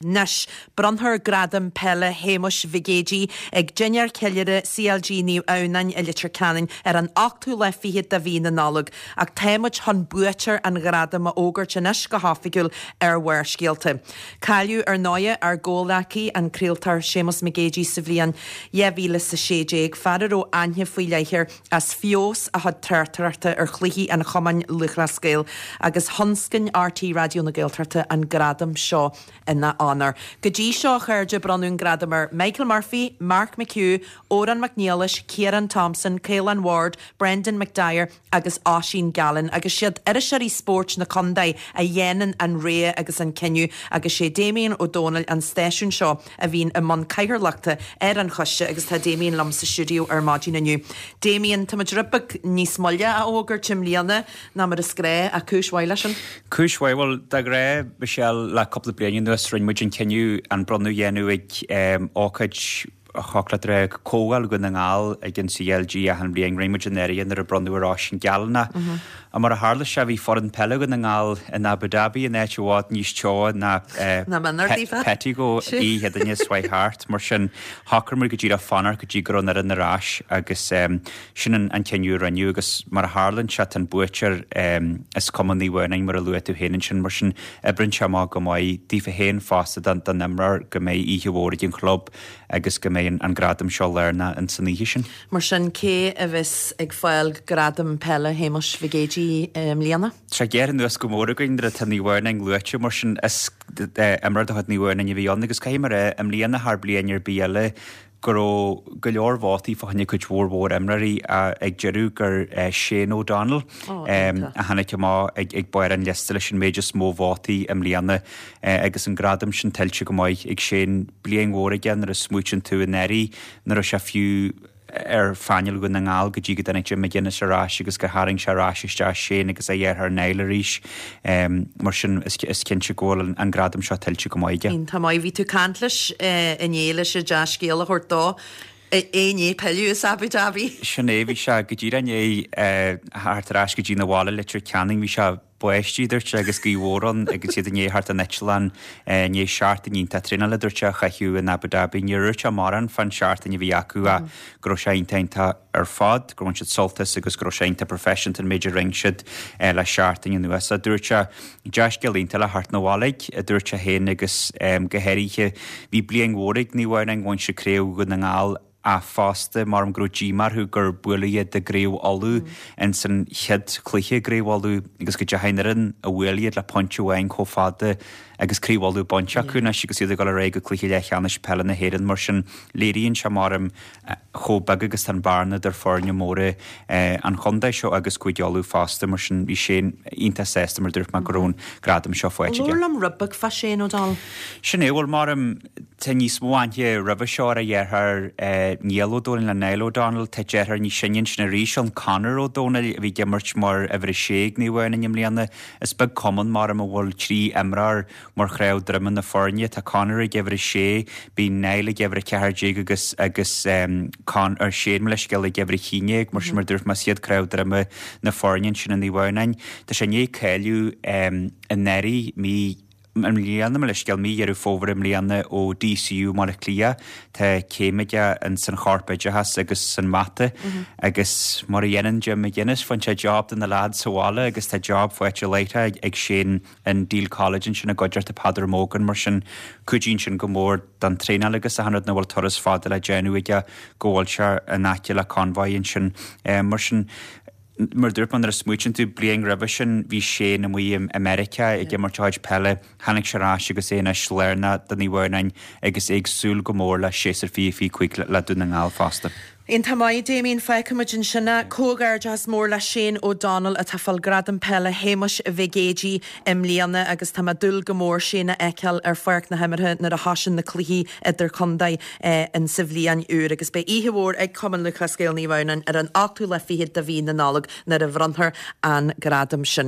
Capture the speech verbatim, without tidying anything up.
Anois, bronnfar Gradam Peile Shéamuis Mhig Éadaigh ag Dinnéar Ceiliúrtha CLG Naomh Adhamhnáin i Leitir Ceanainn ar an ochtú lá fichead de mhí na Nollag, ach tá muid chun buaiteoir an ghradaim a fhógairt anois go hoifigiúil ar Bharrscéalta. Cailleadh ar ndóigh ár gcomhghleacaí, an craoltóir Séamus Mac Géidigh sa bhliain dhá mhíle is a sé déag, fear a raibh aithne faoi leith air as feabhas a chuid tráchtaireachta ar chluichí an Chumainn Lúthchleas Gael, agus thionscain RTÉ Raidió na Gaeltachta an gradam seo ina onóir. Go dtí seo, a chairde, bronnadh an gradam ar Michael Murphy, Mark McHugh, Odhrán Mac Niallais, Ciarán Thompson, Caolán Ward, Brendan McDyer agus Oisín Gallen, agus siad iriseoirí spóirt na contae a dhéanann an rogha agus an cinneadh, agus sé Damien Ó Dónaill an stáisiún seo a bhíonn i mbun cathaoirleachta ar an choiste agus tá Damien liom sa stiúideo ar maidin inniu. Damien, tá muid rud beag níos moille á fhógairt i mbliana ná mar is gnách, ach cúis mhaith leis sin. Cúis mhaith, bhuel, de ghnáth, Michelle, le cúpla bliain anuas rinne muid an cinneadh an bronnadh a dhéanamh ag ócáid thiocfadh leat a rá, Comhdháil Dhún na nGall ag an CLG achan bhliain. Rinne muid in áirithe nuair a bronnadh ar Oisín Gallen é. Ach mar a tharla sé, bhí foireann peile Dhún na nGall in Abu Dhabi, in áit i bhfad níos teo ná Pettigo oíche Chéadaoine seo chuaigh thart. Mar sin, shocraigh muid go díreach fanacht go dtí go raibh an fhoireann ar ais agus sin an cinneadh a rinneadh agus mar a tharlaíonn sé, tá an buaiteoir as Cumann Naomh Adhamhnáin mar a luaigh tú féin ansin. Mar sin, oibríonn sé amach go maith daofa féin fosta don imreoir go mbeidh oíche mhór ag an chlub agus go mbeidh an gradam seo lárnach ins an oíche sin. Mar sin, cé a bheas ag fáil Gradam Peile Shéamuis Mhig Éadaigh i mbliana? Tá sé gearrtha anuas go mór againn nuair atá Naomh Adhamhnáin luaite, mar sin is imreoir de chuid Naomh Adhamhnáin a bhí ann agus caithfidh mé a rá, i mbliana thar bliain ar bith eile, go raibh go leor vótaí fá choinne cuid mhór mhór imreoirí ag deireadh gur Shane O'Donnell a tháinig amach ag barr an liosta leis an méid is mó vótaí i mbliana agus an gradam sin tuillte go maith ag Shane. Bliain mhór aige nuair a smaoitíonn tú anuraidh nach raibh sé fiú ar phainéal Dhún na nGall go dtí go dtáinig Jim McGuinness ar ais agus gur tharraing sé ar ais isteach Shane agus a dheartháir Niall arís. Mar sin is cinnte go bhfuil an gradam seo tuillte go maith aige. Iontach maith. Bhí tú ag caint leis inné leis an dea-scéal a thabhairt dó. É i ndiaidh pilleadh as Abu Dhabi. Sin é, bhí sé go díreach i ndiaidh theacht ar ais go dtí na bhaile Leitir Ceanainn, bhí sé báistí, dúirt sé, agus gaoth mhór ann agus iad i ndiaidh theacht den eitleán i ndiaidh seachtain iontach traenála, dúirt sé, a chaitheamh in Abu Dhabi. Níor dhúirt sé mórán fán seachtain a bhí acu ach go raibh sé iontach iontach ar fad, gur bhain siad sult as agus go raibh sé iontach professional an méid a rinne siad le seachtain anuas. Dúirt sé, dea-scéal iontach le theacht 'na bhaile, a dúirt sé féin agus go háirithe bhí bliain mhór ag Naomh Adhamhnáin, bhain siad Craobh Dhún na nGall ach fosta measaim go raibh díomá orthu gur buaileadh iad i gCraobh Uladh ins an chéad chluiche i gCraobh Uladh agus go dteachaigh an fhoireann a bhuail iad le pointe amháin chomh fada agus Craobh Uladh bainte acu anois agus iad ag dul ar aghaidh go cluiche leathcheannais peile na hÉireann. Mar sin, léiríonn sé measaim chomh beag agus tá an bhearna idir foirne móra an chontae seo agus Cúige Uladh fosta. Mar sin, bhí Shane iontach sásta mar dúirt mé go raibh an gradam seo faighte aige. Labhair liom rud beag fá Shane O'Donnell. Sin é, bhuel, measaim, tá níos mó aithne roimhe seo ar a dheartháir Niall Ó Dónaill nó Niall O'Donnell. Tá deartháir níos sine ansin arís ann, Conor Ó Dónaill, a bhí ag imirt mar uimhir a sé ag Naomh Adhamhnáin i mbliana. Is beag cumann, measaim, a bhfuil trí imreoir mar chnámh droma na foirne. Tá Conor ag uimhir a sé, bíonn Niall ag uimhir a ceathair déag agus agus Con, or Shane, mo leithscéal, ag uimhir a haon déag. Mar sin, mar a dúirt mé, is iad cnámh droma na foirne ansin i Naomh Adhamhnáin. Tá sé i ndiaidh cáiliú anuraidh, mí i mbliana, mo leithscéal, mí Dheireadh Fómhair i mbliana ó DCU i mBaile Átha Cliath. Tá céim aige ins an chorpoideachas agus san mata agus mar a dhéanann Jim McGuinness, faigheann sé job do na lads sa bhaile agus tá job faighte láithreach ag Shane in Deele College ansin i gcuideachta Peadar Mogan. Mar sin, cuidíonn sin go mór don traenáil agus achan rud nach bhfuil turas fada le déanamh aige go bhfuil sé in aice le Convoy ansin. Mar sin, mar a dúirt mé, nuair a smaoitíonn tú, bliain roimhe sin bhí Shane amuigh i Meiriceá ag imirt a chuid peile, tháinig sé ar ais agus é anois lárnach do Naomh Adhamhnáin agus é ag súil go mór le séasúr fiche fiche cúig le Dún na nGall fosta. Iontach maith, Damien. Fágfaidh muid ansin é. Comhghairdeachas mór le Shane O'Donnell atá ag fáil Gradam Peile Shéamuis Mhig Éadaigh i mbliana agus tá mé ag dúil go mór Shane a fheiceáil ar pháirc na himeartha nuair a thosaíonn na cluichí idirchontae in sa bhliain úr agus beidh oíche mhór ag Cumann Lúthchleas Gael Naomh Adhamhnáin ar an ochtú lá fichead de mhí na Nollag nuair a bhronnfar an gradam sin.